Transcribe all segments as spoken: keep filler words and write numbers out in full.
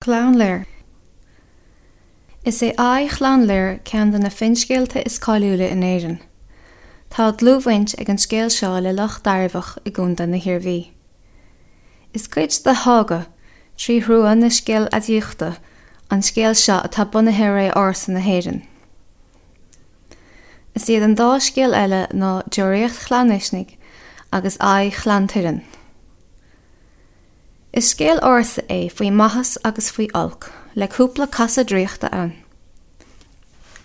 Clann Lir. Is é Aghaidh Chlann Lir ceann de na finscéalta is cáiliúla in Éirinn. Tá dlúthbhaint ag an scéal seo le Loch Dairbheach i gContae na hIarmhí. Is cuid de shága trí thrua na scéaladaíochta an scéal seo atá bunaithe ar ré ársa na hÉireann. Is iad an dá scéal eile ná Deoraíocht Chlann Uisnigh agus Aghaidh Chlann Tuireann. Is scéal ársa é faoi maitheas agus faoi olc, le cúpla casadh draíochta ann.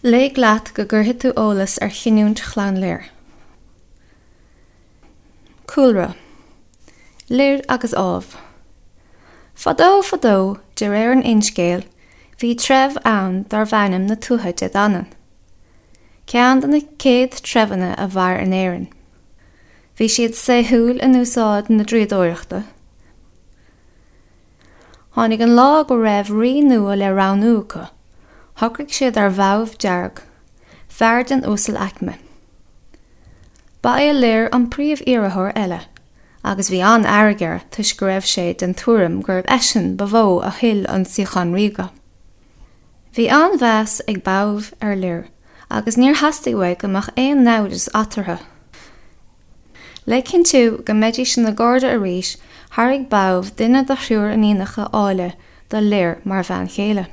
Léigh leat go gcuirfidh tú eolas ar chinniúint Chlann Lir. Cúlra Lir agus Ádhamh Fadó fadó, de réir an fhinscéil, bhí treibh ann darbh ainm na Tuatha Dé Danann. Ceann de na céad treibheanna a mhair in Éirinn. Bhí siad saoithiúil in úsáid na draíodóireachta. Tháinig an lá go raibh rí nua le roghnú acu. Shocraigh siad ar Bhadhbh Dearg, fear den uasalaicme. Ba é Lir an príomh-iarrthóir eile, agus bhí an-fhearg air toisc go raibh sé den tuairim gurbh eisean ba mhó a thuill an suíochán ríoga. Bhí an-mheas ag Badhbh ar Lir, agus níor theastaigh uaidh go mbeadh aon naimhdeas eatarthu. Le cinntiú go mbeidís ina gcairde arís, thairg Badhbh duine de thriúr iníonacha áille do Lir mar bhean chéile.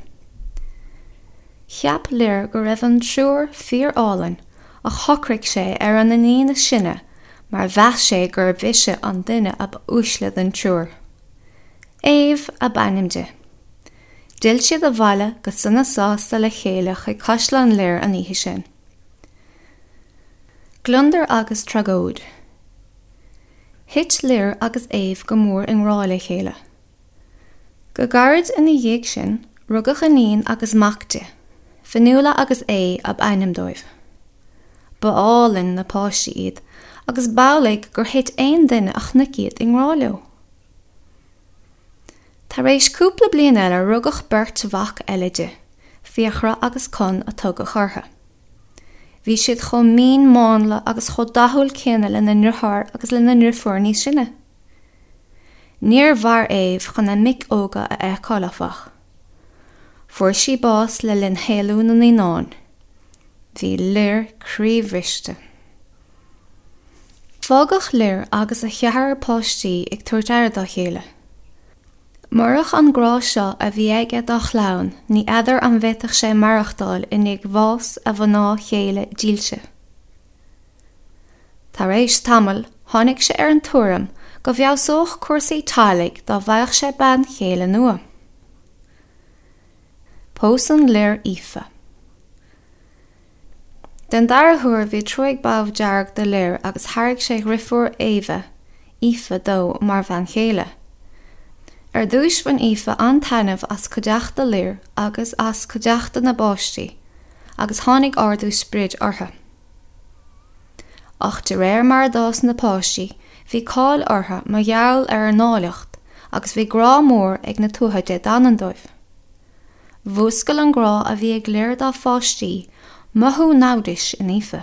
Cheap Lir go raibh an triúr fíor-álainn ach shocraigh sé ar an iníon is sine mar mheas sé gurbh ise an duine ab uaisle den triúr. Aodh ab ainm di. D'fhill siad abhaile go sona sásta le chéile chuig Caisleán Lir an oíche sin. Gliondar agus tragóid. Thit Lir agus Aodh go mór i ngrá le chéile. Go gairid ina dhiaidh sin, rugadh iníon agus mac di, Fionnuala agus Aodh ab ainm dóibh. Ba álainn na páistí iad, agus b'amhlaidh gur thit aon duine a chonaic iad i ngrá leo. Tar éis cúpla bliain eile rugadh beirt mhac eile di, Fiachra agus Conn a tugadh orthu. Bhí siad chomh mín mánla agus chomh dathúil céanna lena ndriotháir agus lena ndriofúr níos sine. Níor mhair Aodh chun a mic óga a fheiceáil áfach. Fuair sí bás le linn shaolú na naíonán. Bhí Lir croíbhriste. Fágadh Lir agus a cheathrar páistí ag tabhairt aire dá chéile. Murach an grá seo a bhí aige dá chlann, ní fheadar an bhféadfadh sé maireachtáil i ndiaidh bhás a mhná chéile dílse. Tar éis tamaill, tháinig sé ar an tuairim go bhfeabhsódh cúrsaí teaghlaigh dá bhfaigheadh sé bean chéile nua. Pósann Lir Aoife. Den dara huair bhí trua ag Badhbh Dearg do Lir agus thairg sé a dhriofúr Éabha, Aoife, dó mar bhean chéile. Ar dtús bhain Aoife an-taitneamh as cuideachta Lir agus as cuideachta na bpáistí, agus tháinig ardú sprid orthu. Ach de réir mar a d'fhás na páistí, bhí cáil orthu mar gheall ar a n-áilleacht agus bhí grá mór ag na Tuatha Dé Danann dóibh. Mhúscail an grá a bhí ag Lir dá pháistí mothú naimhdis in Aoife.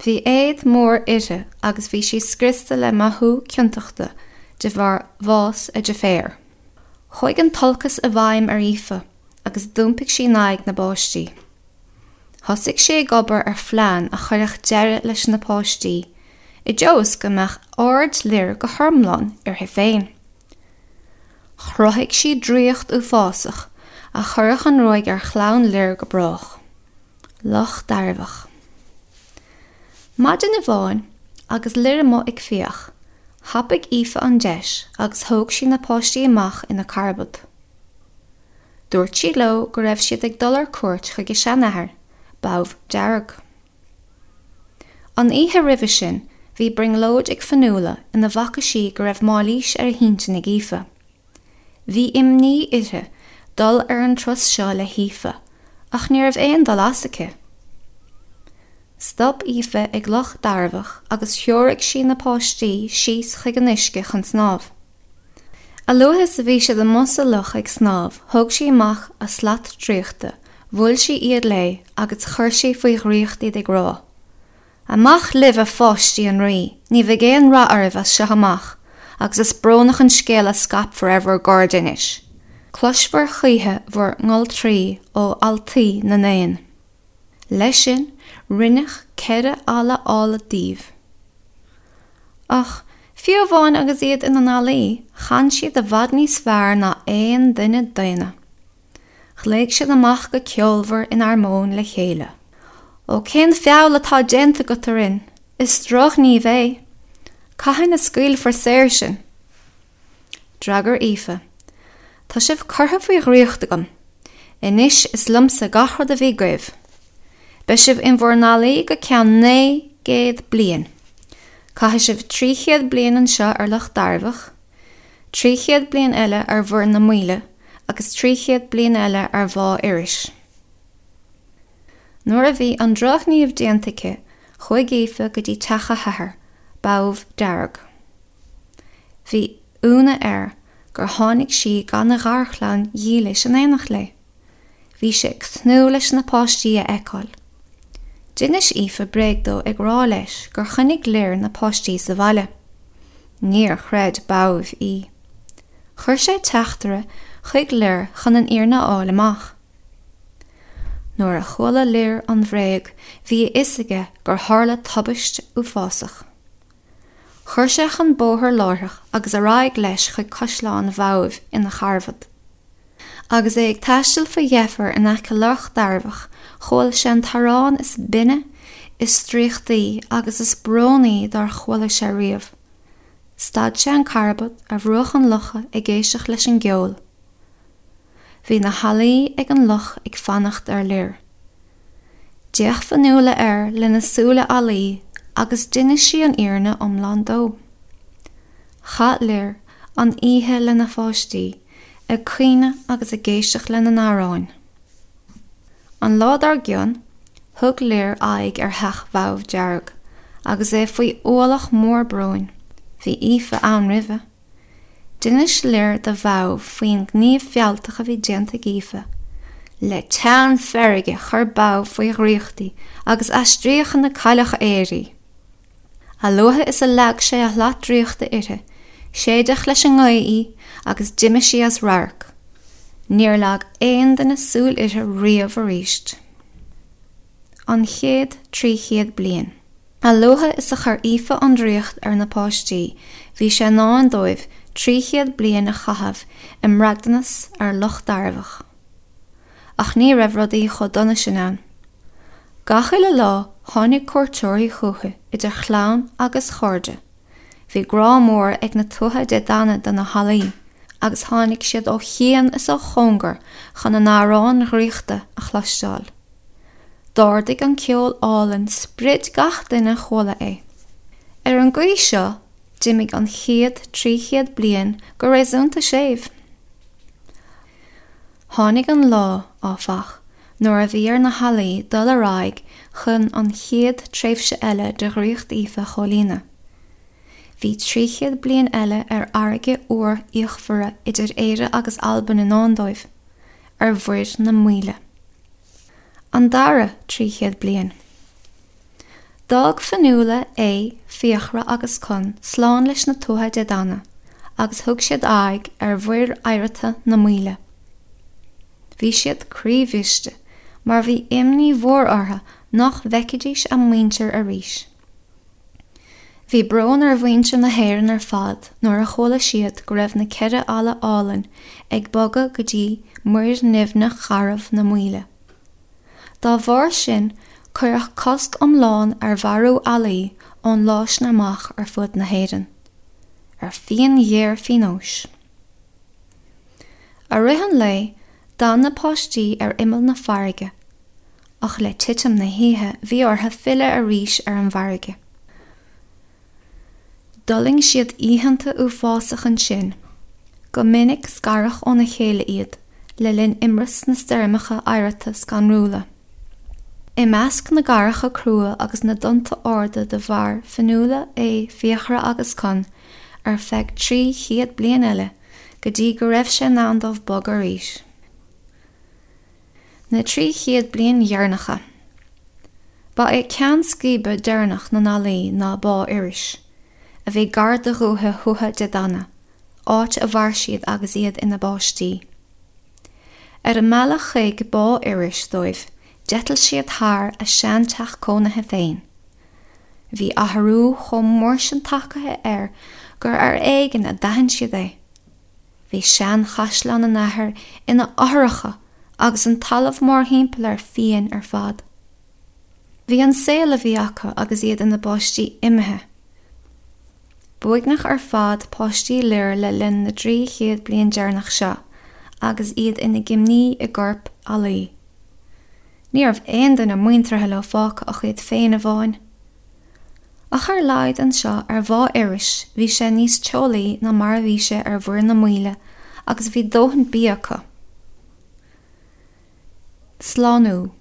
Bhí éad mór uirthi agus bhí sí scriosta le mothú ciontachta de bharr bhás a deirféar. Chuaigh an t-olcas i bhfeidhm ar Aoife agus d'iompaigh sí in aghaidh na bpáistí. Thosaigh sí ag obair ar phlean a chuirfeadh deireadh leis na páistí, i dtreo is go mbeadh aird Lir go hiomlán uirthi féin. Chruthaigh sí draíocht uafásach a chuirfeadh an ruaig ar chlann Lir go brách. Loch Dairbheach. Maidin amháin, agus Lir amuigh ag fiach, Thapaigh Aoife an deis agus thóg sí na páistí amach ina carbad. Dúirt sí leo go raibh siad ag dul ar cuairt chuig a seanathair, Badhbh Dearg. An oíche roimhe sin, bhí brionglóid ag Fionnuala ina bhfaca sí go raibh mailís ar a hintinn ag Aoife. Bhí imní uirthi dul ar an turas seo le hAoife, ach ní raibh aon dul as aici. Stop Aoife ag Loch Dairbheach agus threoraigh sí na páistí síos chuig an uisce chun snámh. A luaithe is a bhí siad amuigh sa loch ag snámh, thóg sí amach a slat draíochta, bhuail sí iad léi agus chuir sí faoi dhraíocht iad ag rá, Amach libh a pháistí an Rí, ní bheidh aon rath oraibh as seo amach agus is brónach an scéal a scaipfear ar bhur gcairde anois. Cloisfear choíche bhur ngoltraí ó ealtaí na n-éan. Leis sin, rinneadh ceithre eala áille díobh. Ach, fiú amháin agus iad ina n-ealaí, chan siad i bhfad níos fearr ná aon duine daonna. Ghlaoigh siad amach go ceolmhar in armóin le chéile. Ó cén feall atá déanta agat orainn? Is drochghníomh é! Cathain a scaoilfear saor sinn? D'fhreagair Aoife, Tá sibh curtha faoi dhraíocht agam. Anois is liomsa gach rud a bhí agaibh. Beidh sibh in bhur n-ealaí go ceann naoi gcéad bliain. Caithfidh sibh trí chéad bliain anseo ar Loch Dairbheach, trí chéad bliain eile ar Mhuir na Maoile agus trí chéad bliain eile ar Bhá Iorrais. Nuair a bhí an drochghníomh déanta aici, chuaigh Aoife go dtí teach a hathar, Badhbh Dearg. Bhí ionadh air gur tháinig sí gan a gharchlann dhílis in éineacht léi. Bhí sé ag tnúth leis na páistí a fheiceáil. D'inis Aoife bréag dó ag rá leis gur choinnigh Lir na páistí sa bhaile. Níor chreid Badhbh í. Chuir sé teachtaire chuig Lir chun an fhírinne a fháil amach. Nuair a chuala Lir an bhréag, bhí a fhios aige gur tharla tubaist uafásach. Chuir sé chun bóthair láithreach agus ar aghaidh leis chuig caisleán Bhadhbh ina charbad. Agus é ag taisteal faoi dheifir in aice Loch Dairbheach, chuala sé an t-amhrán is binne, is draíochtaí agus is brónaí dár chuala sé riamh. Stad sé an carbad ar bhruach an locha ag éisteacht leis an gceol. Bhí na healaí ag an loch ag fanacht ar Lir. D'fhéach Fionnuala air lena súile ealaí agus d'inis sí an fhírinne iomlán dó. Chaith Lir an oíche lena pháistí, ag caoineadh agus ag éisteacht lena n-amhráin. An lá dár gcionn, thug Lir aghaidh ar theach Bhadhbh Dearg, agus é faoi ualach mór bróin. Bhí Aoife ann roimhe. D'inis Lir do Bhadhbh faoin ngníomh fealltach a bhí déanta ag Aoife. Le teann feirge chuir Badhbh faoi dhraíocht í agus aistríodh ina cailleach aeir í. A luaithe is a leag sé a shlat draíochta uirthi, séideadh leis an ngaoth í agus d'imigh sí as radharc. Níor leag aon duine súil uirthi riamh arís. An chéad trí chéad bliain. A luaithe is a chuir Aoife an draíocht ar na páistí, bhí sé i ndán dóibh trí chéad bliain a chaitheamh i mbraighdeanas ar Loch Dairbheach. Ach ní raibh rudaí chomh dona sin ann. Gach uile lá tháinig cuairteoirí chucu, idir chlann agus chairde. Bhí grá mór ag na Tuatha Dé Danann do na healaí, agus tháinig siad ó chian is ó chóngar chun a n-amhráin dhraíochta a chloisteáil. D'ardaigh an ceol álainn sprid gach duine a chuala é. Ar an gcaoi seo, d'imigh an chéad trí chéad bliain go réasúnta séimh. Tháinig an lá, áfach, nuair a bhí ar na healaí dul ar aghaidh chun an chéad tréimhse eile de dhraíocht Aoife a chomhlíonadh. Bhí trí chéad bliain eile ar fharraige fhuar fhíochmhar idir Éire agus Albain i ndán dóibh, ar Mhuir na Maoile. An dara trí chéad bliain. D'fhág Fionnuala, Aodh, Fiachra agus Conn slán leis na Tuatha Dé Danann agus thug siad aghaidh ar Mhuir Oighreata na Maoile. Bhí siad croíbhriste mar bhí imní mhór orthu nach bhfeicfidís a muintir arís. Bhí brón ar mhuintir na hÉireann ar fad nuair a chuala siad go raibh na ceithre eala álainn ag bogadh go dtí Muir nimhneach gharbh na Maoile. Dá bharr sin, cuireadh cosc iomlán ar mharú ealaí ón lá sin amach ar fud na hÉireann, ar phian ghéar phionóis. I rith an lae, d'fhan na páistí ar imeall na farraige, ach le titim na hoíche bhí orthu filleadh arís ar an bhfarraige. D'fhulaing siad oícheanta uafásacha ansin, go minic scaradh óna chéile iad le linn imreas na stoirmeacha oighreata scanrúla. I measc na gcarraigeacha crua agus na dtonnta arda do mhair Fionnuala, Aodh, Fiachra agus Conn ar feadh trí chéad bliain eile go dtí go raibh sé in am dóibh bogadh arís. Na trí chéad bliain dheireanacha. Ba é ceann scríbe deireanach na n-ealaí ná Bá Iorrais, a bhí gar do dhúiche Thuatha Dé Danann, áit a mhair siad agus iad ina bpáistí. Ar a mbealach chuig Bá Iorrais dóibh, d'eitil siad thar a seanteach cónaithe féin. Bhí athrú chomh mór sin tagtha air gur ar éigean a d'aithin siad é. Bhí seanchaisleán a n-athar ina fhothracha agus an talamh mórthimpeall air fiáin ar fad. Bhí an saol a bhí acu agus iad ina bpáistí imithe. B'uaigneach ar fad páistí Lir le linn na dtrí chéad bliain deireanach seo agus iad ina gcimí i gcorp ealaí. Ní raibh aon duine muinteartha leo fágtha ach iad féin amháin. Ach ar a laghad anseo ar Bhá Iorrais bhí sé níos teolaí ná mar a bhí sé ar Mhuir na Maoile agus bhí dóthain bia acu. Slánú.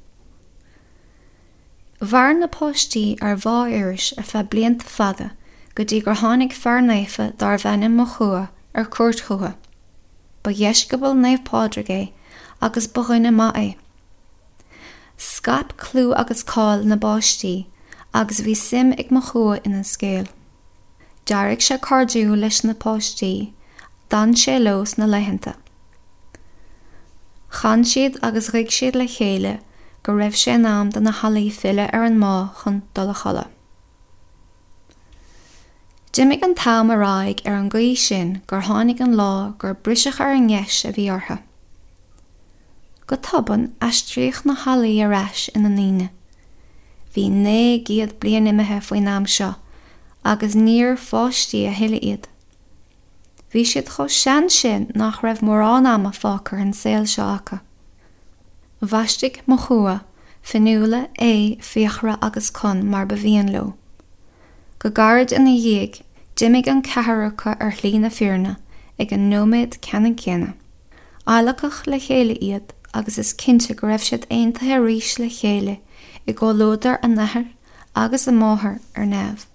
Mhair na páistí ar Bhá Iorrais ar feadh blianta fada go dtí gur tháinig fear naofa darbh ainm Mochua ar cuairt chucu. Ba dheisceabal Naomh Pádraig é agus ba dhuine maith é. Scaip clú agus cáil na bpáistí agus bhí suim ag Mochua ina scéal. D'éirigh sé cairdiúil leis na páistí, d'fhan sé leo sna laethanta. Chan siad agus ghuigh siad le chéile go raibh sé in am do na healaí filleadh ar an mbá chun dul a chodladh. D'imigh an t-am ar aghaidh ar an gcaoi sin gur tháinig an lá gur briseadh ar an ngeis a bhí orthu. Go tobann aistríodh na healaí ar ais ina ndaoine. Bhí naoi gcéad bliain imithe faoin am seo agus níorbh pháistí a thuilleadh iad. Bhí siad chomh sean sin nach raibh mórán ama fágtha ar an saol seo acu. Bhaistigh Mochua, Fionnuala, Aodh, Fiachra agus Conn mar ba mhian leo. Go gairid ina dhiaidh, d'imigh an ceathrar acu ar shlí na fírinne ag an nóiméad ceannann céanna. Adhlacadh le chéile iad agus is cinnte go raibh siad aontaithe arís le chéile i gcomhluadar a n-athar agus a máthar ar neamh.